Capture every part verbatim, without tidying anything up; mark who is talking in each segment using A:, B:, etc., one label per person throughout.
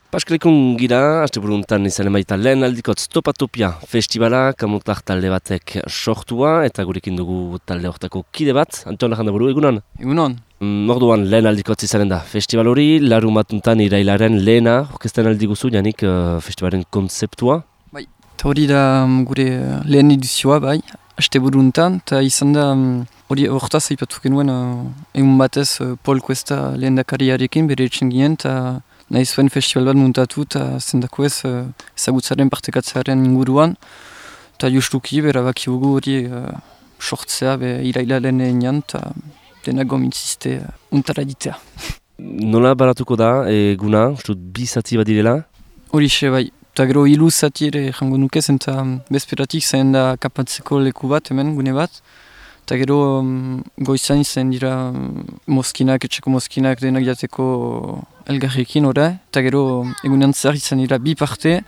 A: Paskalekun gira, haste buruntan izanen baita lehen aldikotz Topatopia festivala, kamutar talde batek sortua, eta gurekin dugu talde hortako kide bat, Anton Lajandaburu, egunon?
B: Egunon.
A: Mm, orduan lehen aldikotz izanen da festival hori, larun batuntan irailaren lehena, orkestan aldi guzu, janik uh, festivalaren konzeptua?
B: Bai, eta hori da um, gure lehen edizioa, bai, haste buruntan, eta izan da hori um, hortaz aipatu genuen uh, egun batez uh, Paul Cuesta lehen dakariarekin bere etxen ginen, eta nahi zuen festival bat muntatu eta zendako ez uh, ezagutzaren partekatzearen inguruan. Eta justuki bera bakiugu hori uh, sortzea be irailaren enean eta denak gomintzizte uh, untara ditea.
A: Nola baratuko da eguna, ustut bi zati bat direla?
B: Horixe bai, eta gero hilu zati ere jango nuke zen eta bezperatik zain da kapatzeko leku bat hemen gune bat. Eta gero um, goizan izan dira um, mozkinak, etxeko mozkinak denak jateko elgarrekin ora. Eta gero egunean zer izan dira bi parte,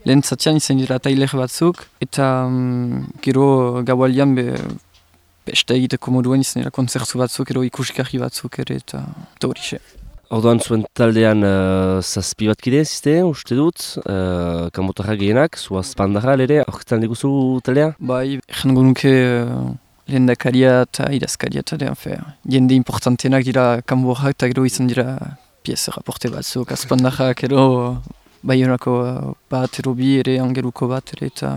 B: lehen zatian izan dira tailer batzuk. Eta um, gero gaualian be, beste egiteko moduen izan dira konzertu batzuk, gero ikusgarri batzuk ere eta horixe.
A: Orduan zuen taldean uh, zazpi bat kide ziste, uste dut, uh, kanbotarra gehienak, zuaz pandarra ere, aurketan diguzu taldea?
B: Bai, jango nuke uh, lehendakaria eta idazkaria eta den, jende importantenak dira kanborrak eta gero izan dira pieza raporte batzuk, azpandarrak ero baionako bat ero bi ere angeluko bat ere eta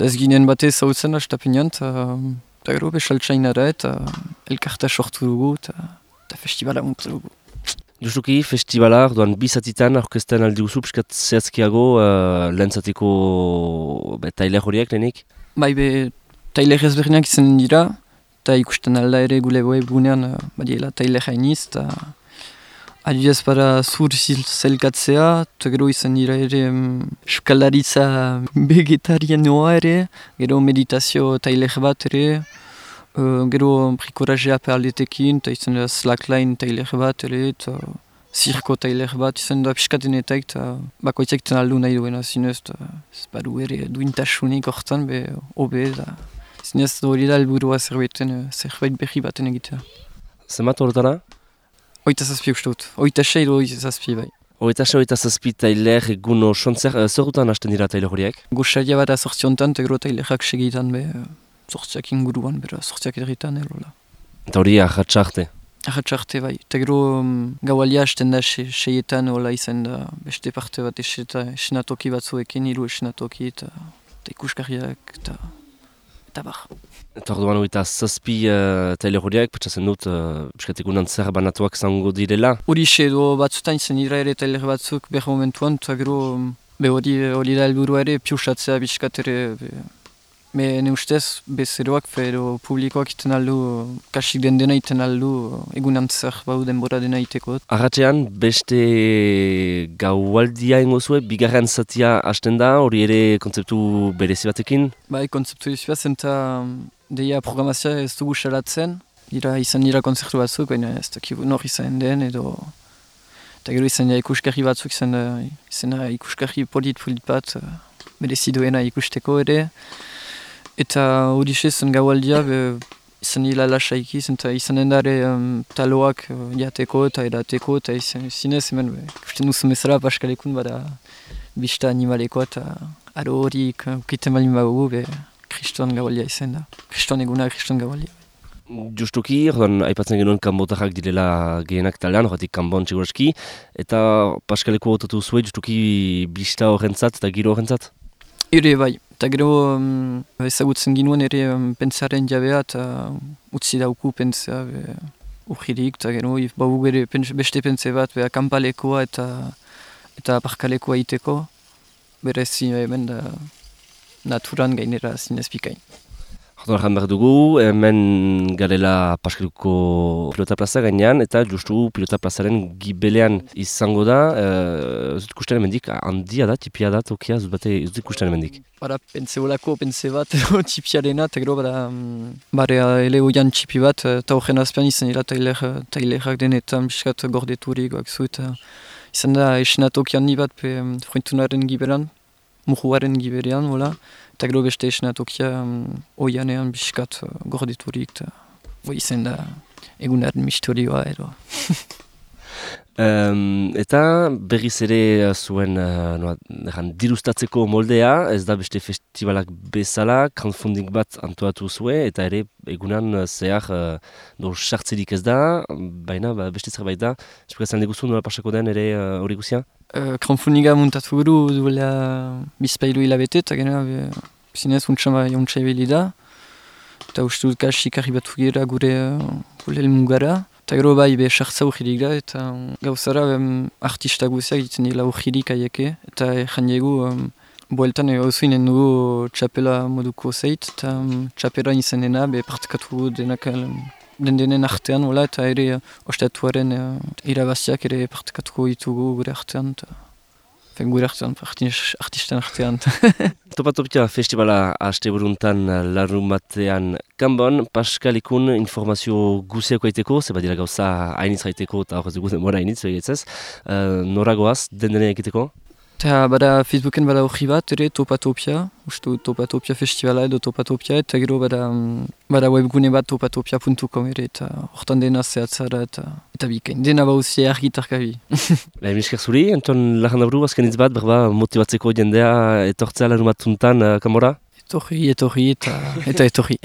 B: ez ginen batez hautzen da estapenean eta gero besaltsainara eta elkarta sortu dugu eta festivala muntu dugu.
A: Justuki, festivala, orduan bizatitan aurkezten aldi guzu, piskat zehazkiago uh, lehentzatiko tailer horiek lehenik?
B: Bai be, tailer ezberdinak izan dira, eta ikusten alda ere gule webgunean uh, badiela tailer hainiz, eta adibidez para zur zelkatzea, eta gero izan dira ere um, euskaldaritza vegetarianoa ere, gero meditazio tailer bat ere, Uh, gero brikorajea perletekin, eta izan da slackline tailer bat ere, eta zirko tailer bat, izan da piskatenetak, eta bakoitzak ten aldu nahi duena zinez, eta ez badu ere duintasunik hortan, be hobe, da zinez hori da helburua zerbaiten, zerbait berri baten egitea.
A: Zemat horretara?
B: Oita zazpi uste dut, oita sei edo oita zazpi bai.
A: Oita sei, oita zazpi tailer egun osontzer, zerrutan hasten dira tailer horiek?
B: Goxaria bat azortziontan, eta gero tailerak segitan be, sortziak inguruan, bera, sortziak erritan, erola.
A: Eta hori ahatsa-arte?
B: Ahatsa-arte, bai. Eta gero um, gaualia hasten da se, seietan, hola izan da beste parte bat esenatoki batzuekin, hiru esenatoki, eta ikusgarriak, eta eta bar.
A: Eta orduan hori eta zazpi uh, tailer horiek, petxatzen dut, uh, piskatikunan zer banatuak zango direla?
B: Horixe edo batzutan izan dira ere tailer batzuk behar momentuan, eta gero um, be hori hori da helburua ere, piusatzea biskat ere, be, Me ne ustez, bezeroak edo publikoak iten aldu, kasik den dena iten aldu, egunan zer bau denbora dena iteko.
A: Arratxean, beste gaualdia ingo zuen, bigarren zatia hasten da, hori ere kontzeptu berezi batekin?
B: Bai, kontzeptu berezi bat, zenta deia programazioa ez dugu salatzen, dira izan dira konzertu batzuk, baina ez dakibu nor izan den, edo eta gero izan dira ikusgarri batzuk, izan da, izan da ikusgarri polit-polit bat, berezi duena ikusteko ere. Eta hori zen gaualdia, be, izan hila lasaiki, izan endare um, taloak uh, jateko eta edateko, eta izan zinez, hemen, ikusten duzu mesara, paskalekun bada bista animaleko, eta aro hori ukiten balin bagu, be, kriston gaualdia izan da. Kriston eguna, kriston gaualdia.
A: Justuki, ordan aipatzen genuen kanbotarrak direla gehienak taldean, horretik kanbon txeguraski, eta paskaleko otatu zuen, justuki bista horrentzat eta giro horrentzat?
B: Ere bai, eta gero um, ezagutzen ginuen ere um, pentsaren jabea eta utzi dauku pentsa urgirik, eta gero bau gero beste pentsa bat be, akampalekoa eta eta parkalekoa iteko, berez hemen da naturan gainera zinez bikain.
A: Hortan jan behar dugu, hemen garela Paskaluko pilota plaza gainean, eta justu pilota plazaren gibelean izango da, ez dut ikusten emendik, handia da, tipia da, tokia, ez dut ikusten emendik.
B: Bara, pense holako, pense bat, tipiarena, eta gero, bara, bare, ele oian txipi bat, eta horren azpian izan dira tailerak denetan, biskat gordeturik, bakzu, eta izan da esenatoki handi bat, pe frointunaren gibelan, muhuaren giberean, hola, eta gero beste esenatokia um, oianean biskat uh, gordeturik, eta izan da egunaren mistorioa edo.
A: Um, eta berriz ere zuen uh, noa, erran, dirustatzeko moldea, ez da beste festivalak bezala, crowdfunding bat antoatu zue, eta ere egunan zehar uh, do sartzerik ez da, baina ba, beste zerbait da. Esplikatzen diguzu nola pasako den ere hori uh, guzia?
B: Uh, crowdfundinga muntatu guru duela bizpailu hilabete, eta gena zinez untsa ebili da. Eta uste dut kasik arribatu gira gure uh, gure elmugara. Eta gero bai, be, sartza urgirik da, eta gauzara um, artista guziak ditzen dira urgirik aieke. Eta egin diegu, um, boeltan gauzu inen dugu txapela moduko zeit, eta um, txapela izan dena, be, partekatu denak um, den denen artean, wala, eta ere uh, ostatuaren uh, irabaziak ere partekatuko ditugu gure artean. Ta, fen gure artean, artistan artean.
A: Topatopia festivala haste buruntan larun batean kanbon, Paskalikun informazio guziako aiteko, ze badira gauza hainitz haiteko eta horrez dugu demora hainitz egitzez. Uh, noragoaz, den dene egiteko?
B: Eta bada Facebooken bada horri bat, ere Topatopia, ustu Topatopia festivala edo Topatopia, eta gero bada, bada webgune bat topatopia puntu com ere, eta hortan dena zehatzara eta, eta bikain, dena bauzia argitarkabi.
A: Ba, emisker zuri, Anton Larrandaburu, azken hitz bat, berba motibatzeko jendea etortzea larun batuntan uh, kanbora?
B: Etorri, etorri eta, eta etorri.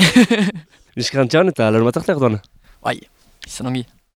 A: Emisker antxan eta larun bat arte arduan?
B: Bai, izan ongi.